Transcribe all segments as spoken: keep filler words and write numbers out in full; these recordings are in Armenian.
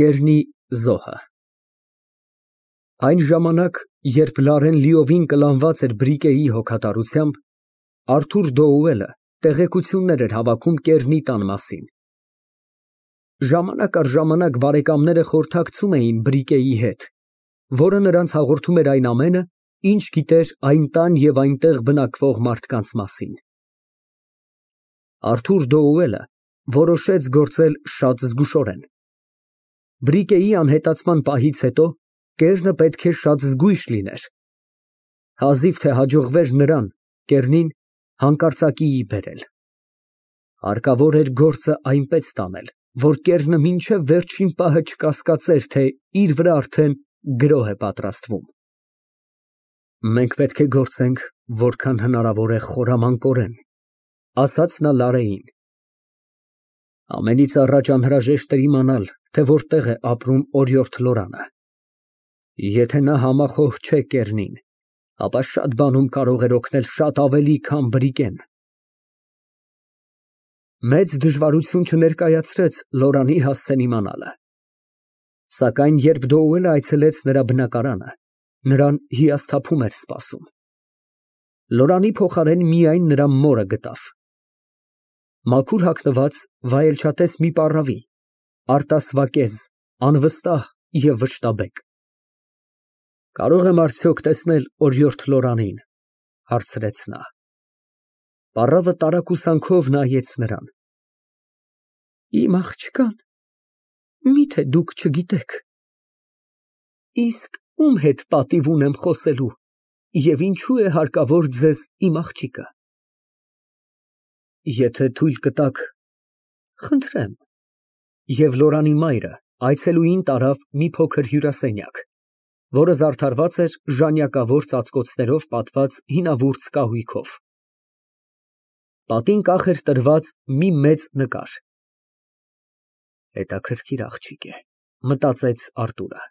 Կեռնի զոհը Այն ժամանակ, երբ Լարեն լիովին կլանված էր Բրիկեի հոգատարությամբ, Արթուր Դոուելը տեղեկություններ էր հավաքում Կեռնի տան մասին։ Ժամանակ առ ժամանակ բարեկամները խորհրդակցում էին Բրիկեի հետ, որը նրանց հաղորդում էր այն ամենը, ինչ գիտեր այն տան և այնտեղ բնակվող մարդկանց մասին։ Արթուր Դոուելը որոշեց գործել շատ զգուշորեն։ Բրիկեի անհետացման պահից հետո Կեռնը պետք է շատ զգույշ լիներ։ Հազիվ թե հաջողվեր նրան (Կեռնին) հանկարծակիի բերել։ Հարկավոր էր գործը այնպես տանել, որ Կեռնը մինչև վերջին պահը չկասկածեր, թե իր վրա արդեն գրոհ է պատրաստվում։ Մենք պետք է գործենք որքան հնարավոր է խորամանկորեն, ասաց նա Լարեին։ Ամենից առաջ անհրաժեշտ էր իմանալ, թե որտեղ է ապրում օրիորդ Լորանը։ Եթե նա համախոհ չէ Կեռնին, ապա շատ բանում կարող էր օգնել շատ ավելի, քան Բրիկեն։ Մեծ դժվարություն չներկայացրեց Լորանի հասցեն իմանալը։ Սակայն երբ Դոուելը այցելեց նրա բնակարանը, նրան հիասթափում էր սպասում։ Լորանի փոխարեն միայն նրա մորը գտավ։ Մաքուր հագնված, վայելչատես մի պառավի, արտասվակեզ, անվստահ և վշտաբեկ։ Կարո՞ղ եմ արդյոք տեսնել օրիորդ Լորանին, հարցրեց նա։ Պառավը տարակուսանքով նայեց նրան։ Իմ աղջկան, միթե դուք չգիտեք։ Իսկ ում հետ պատիվ ունեմ խոսելու և ինչու է հարկավոր ձեզ իմ աղջիկը։ Եթե թույլ կտաք, խնդրեմ։ Եվ Լորանի մայրը այցելուին տարավ մի փոքր հյուրասենյակ, որը զարդարված էր ժանյակավոր ծածկոցներով պատված հինավուրց կահույքով։ Պատին կախ էր տրված մի մեծ նկար։ Հետաքրքիր աղջիկ է, մտածեց Արտուրը։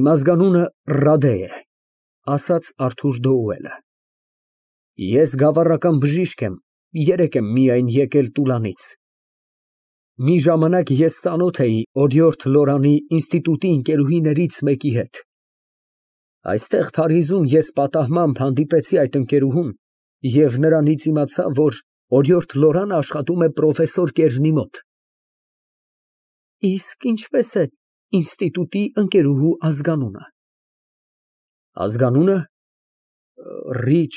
Իմ ազգանունը Ռադե է, ասաց Արթուր Դոուելը։ Ես գավառական բժիշկ եմ, երեկ եմ միայն եկել Տուլանից։ Մի ժամանակ ես ծանոթ էի օրիորդ Լորանի ինստիտուտի ընկերուհիներից մեկի հետ։ Այստեղ Փարիզում ես պատահմամբ հանդիպեցի այդ ընկերուհուն և նրանից իմացա, որ օրիորդ Լորանը աշխատում է պրոֆեսոր Կեռնի մոտ։ Իսկ ինչպե՞ս է ինստիտուտի ընկերուհու ազգանունը։ Ազգանունը Ռիչ…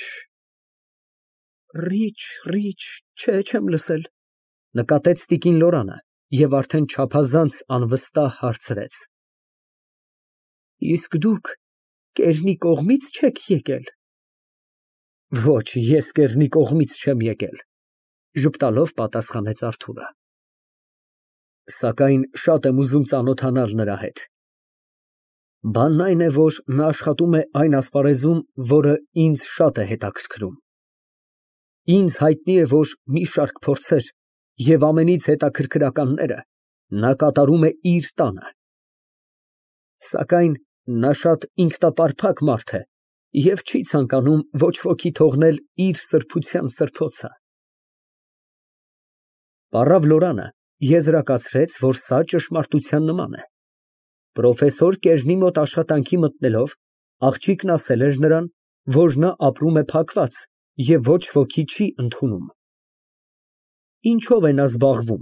Ռիչ… Ռիչ… Չէ, չեմ լսել, նկատեց տիկին Լորանը և արդեն չափազանց անվստահ հարցրեց։ Իսկ դուք Կեռնի կողմի՞ց չեք եկել։ Ոչ, ես Կեռնի կողմից չեմ եկել, ժպտալով պատասխանեց Արթուրը։ Սակայն շատ եմ ուզում ծանոթանալ նրա հետ։ Բանն այն է, որ նա աշխատում է այն ասպարեզում, որը ինձ շատ է հետաքրքրում։ Ինձ հայտնի է, որ մի շարք փորձեր և ամենից հետաքրքրականները նա կատարում է իր տանը։ Սակայն նա շատ ինքնապարփակ մարդ է և չի ցանկանում ոչ ոքի թողնել իր սրբության սրբոցը։ Պառավ Լորանը եզրակացրեց, որ սա ճշմարտության նման է։ Պրոֆեսոր Կեռնի մոտ աշխատանքի մտնելով, աղջիկն ասել էր նրան, որ նա ապրում է փակված և ոչ ոքի չի ընդունում։ Ինչո՞վ է նա զբաղվում,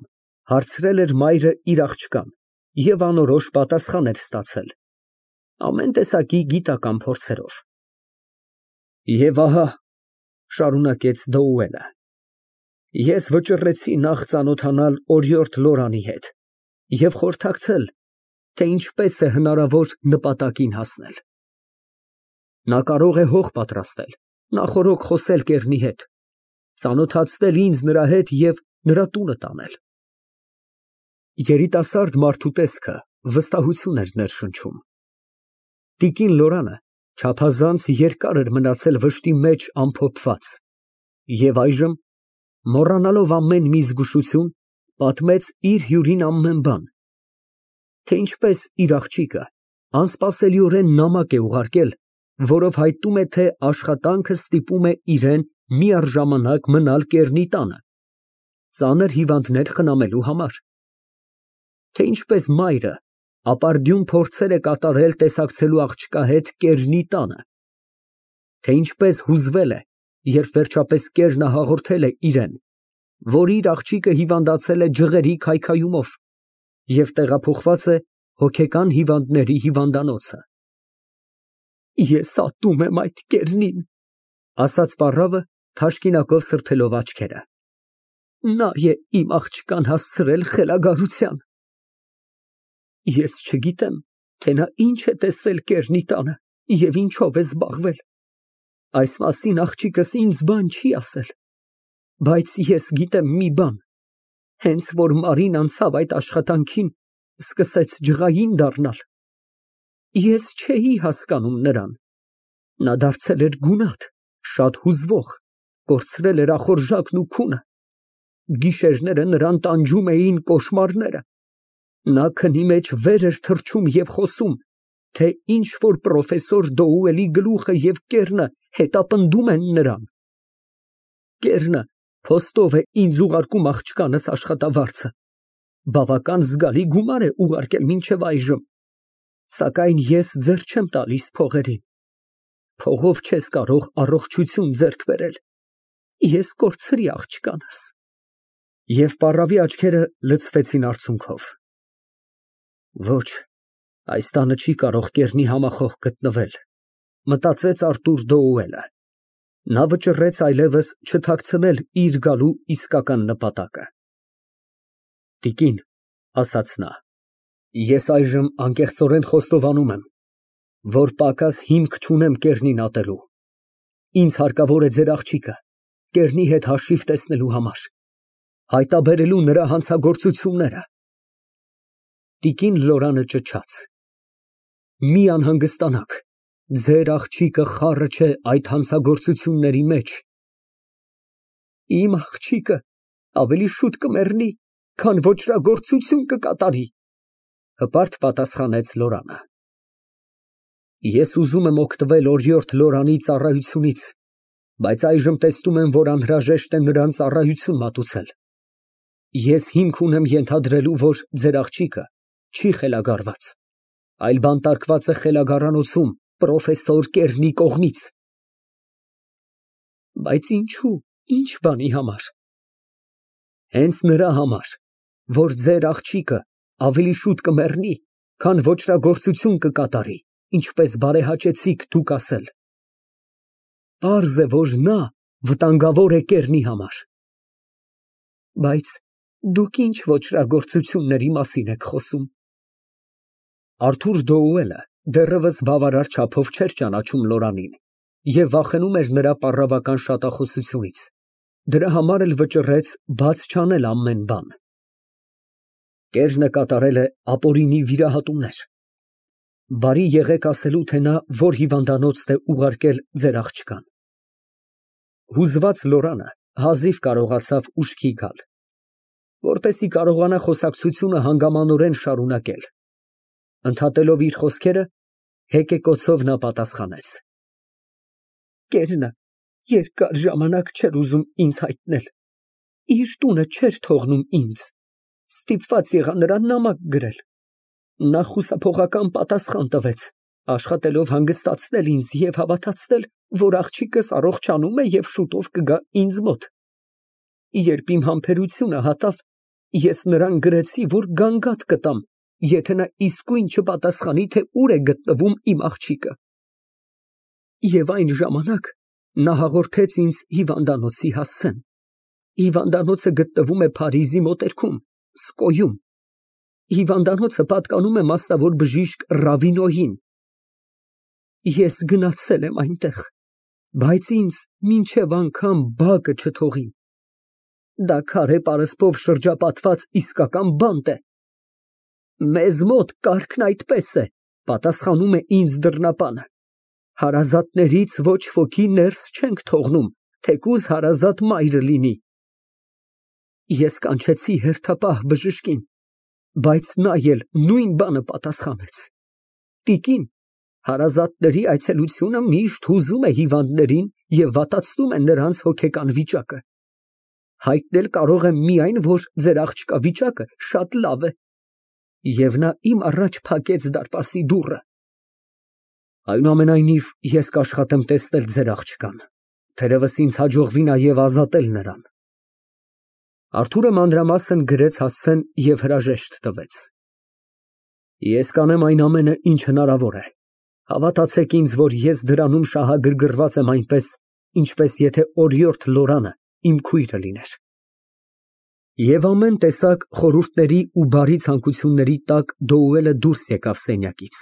հարցրել էր մայրը իր աղջկան և անորոշ պատասխան էր ստացել, ամեն տեսակի գիտական փորձերով։ Եվ ահա, շարունակեց Դոուելը, ես վճռեցի նախ ծանոթանալ օրիորդ Լորանի հետ և խորհրդակցել, թե ինչպես է հնարավոր նպատակին հասնել։ Նա կարող է հող պատրաստել, նախօրոք խոսել Կեռնի հետ, ծանոթացնել ինձ նրա հետ և նրա տունը տանել։ Երիտասարդ մարդու տեսքը վստահություն էր ներշնչում։ Տիկին Լորանը չափազանց երկար էր մնացել վշտի մեջ ամփոփված և այժմ, մոռանալով ամեն մի զգուշություն, պատմեց իր հյուրին ամեն բան, թե ինչպես իր աղջիկը անսպասելիորեն նամակ է ուղարկել, որով հայտնում է, թե աշխատանքը ստիպում է իրան միառժամանակ մնալ Կեռնի տանը, ծանր հիվանդներ խնամելու համար։ թե ինչպես մայրը ապարդյուն փորձեր է կատարել տեսակցելու աղջկա հետ կերնի տանը, թե ինչպես հուզվել է, երբ վերջապես կերնը հաղորդել է իրեն, որ իր աղջիկը հիվանդացել է ջղերի քայքայումով և տեղափոխված է հոգեկան հիվանդների հիվանդանոցը։ Ես ատում եմ այդ կերնին, ասաց պառավը, թաշկինակով սրբելով աչքերը։ Նա է իմ աղջկան հասցրել խելագարության։ Ես չգիտեմ, թե նա ինչ է տեսել կերնի տանը և ինչով է զբաղվել։ Այս մասին աղջիկս ինձ բան չի ասել, բայց ես գիտեմ մի բան, հենց որ Մարին անցավ այդ աշխատանքին, սկսեց ջղային դառնալ։ Ես չէի հասկանում նրան։ Նա դարձել էր գունատ, շատ հուզվող, կորցրել էր ախորժակն ու քունը։ Գիշերները նրան տանջում էին կոշմարները։ Նա քնի մեջ վեր էր թռչում և խոսում, թե ինչ որ պրոֆեսոր Դոուելի գլուխը և կեռնը հետապնդում են նրան։ Կեռնը փոստով է ինձ ուղարկում աղջկանս աշխատավարձը, բավական զգալի գումար է ուղարկել մինչև այժմ, սակայն ես ձեռ չեմ տալիս փողերին։ Փողով չես կարող առողջություն ձեռք բերել, ես կորցրի աղջկանս։ Եվ պառավի աչքերը լցվեցին արցունքով։ Ոչ, այս տանը չի կարող կեռնի համախոհ գտնվել, մտածեց Արտուր Դոուելը։ Նա վճռեց այլևս չթաքցնել իր գալու իսկական նպատակը։ Տիկին, ասաց նա, ես այժմ անկեղծորեն խոստովանում եմ, որ պակաս հիմք չունեմ կեռնին ատելու։ Ինձ հարկավոր է ձեր աղջիկը կեռնի հետ հաշիվ տեսնելու համար, հայտաբերելու նրա հանցագործությունները։ Տիկին Լորանը ճչաց. Մի անհանգստանաք, ձեր աղջիկը խառը չէ այդ հանցագործությունների մեջ։ Իմ աղջիկը ավելի շուտ կմեռնի, քան ոճրագործություն կկատարի, հպարտ պատասխանեց Լորանը։ Ես ուզում եմ օգտվել օրիորդ Լորանի ծառայությունից, բայց այժմ տեսնում եմ, որ անհրաժեշտ է նրան ծառայություն մատուցել։ Ես հիմք ունեմ ենթադրելու, որ ձեր աղջիկը չի խելագարված, այլ բանտարկված է խելագարանոցում պրոֆեսոր Կեռնի կողմից։ Բայց ինչու, ինչ բանի համար։ Հենց նրա համար, որ ձեր աղջիկը ավելի շուտ կմեռնի, քան ոճրագործություն կկատարի, ինչպես բարեհաճեցիք դուք ասել։ Պարզ է, որ նա վտանգավոր է Կեռնի համար։ Բայց դուք ինչ ոճրագործությունների մասին եք խոսում։ Արթուր Դոուելը դեռևս բավարար չափով չէր ճանաչում Լորանին և վախենում էր նրա պառավական շատախոսությունից, դրա համար էլ վճռեց բաց չանել ամեն բան։ Կեռնը կատարել է ապօրինի վիրահատումներ։ Բարի եղեք ասելու, թե նա որ հիվանդանոց է ուղարկել ձեր աղջկան։ Հուզված Լորանը հազիվ կարողացավ ուշքի գալ, որպեսզի կարողանա խոսակցությունը հանգամանորեն շարունակել։ Ընդհատելով իր խոսքերը, հեկեկոցով նա պատասխանեց. Կեռնը երկար ժամանակ չէր ուզում ինձ հայտնել, իր տունը չէր թողնում ինձ, ստիպված եղա նրան նամակ գրել։ Նա խուսափողական պատասխան տվեց, աշխատելով հանգստացնել ինձ և հավատացնել, որ աղջիկս առողջանում է և շուտով կգա ինձ մոտ։ Երբ իմ համբերությունը հատավ, ես նրան գրեցի, որ գանգատ կտամ, եթե նա իսկույն չպատասխանի, թե ուր է գտնվում իմ աղջիկը։ Եվ այն ժամանակ նա հաղորդեց ինձ հիվանդանոցի հասցեն։ Հիվանդանոցը գտնվում է Փարիզի մոտերքում, Սկոյում։ Հիվանդանոցը պատկանում է մասնավոր բժիշկ Ռավինոյին։ Ես գնացել եմ այնտեղ, բայց ինձ մինչև անգամ բակը չթողին։ Դա քարե պարսպով շրջապատված իսկական բանտ է։ Մեզ մոտ կարգն այդպես է, պատասխանում է ինձ դռնապանը։ Հարազատներից ոչ ոքի ներս չենք թողնում, թեկուզ հարազատ մայրը լինի։ Ես կանչեցի հերթապահ բժշկին, բայց նա էլ նույն բանը պատասխանեց։ Տիկին, հարազատների այցելությունը միշտ հուզում է հիվանդներին և վատացնում է նրանց հոգեկան վիճակը։ Հայտնել կարող եմ միայն, որ ձեր աղջկա վիճակը շատ լավ է։ Եվ նա իմ առաջ փակեց դարպասի դուռը։ Այնուամենայնիվ, ես կաշխատեմ տեսնել ձեր աղջկան, թերևս ինձ հաջողվի նաև ազատել նրան։ (Արթուրը մանրամասն գրեց հասցեն և հրաժեշտ տվեց)։ Ես կանեմ այն ամենը, ինչ հնարավոր է, հավատացեք ինձ, որ ես դրանում շահագրգռված եմ այնպես, ինչպես եթե օրիորդ Լորանը իմ քույրը լիներ։ Եվ ամեն տեսակ խորհուրդների ու բարի ցանկությունների տակ Դոուելը դուրս եկավ սենյակից։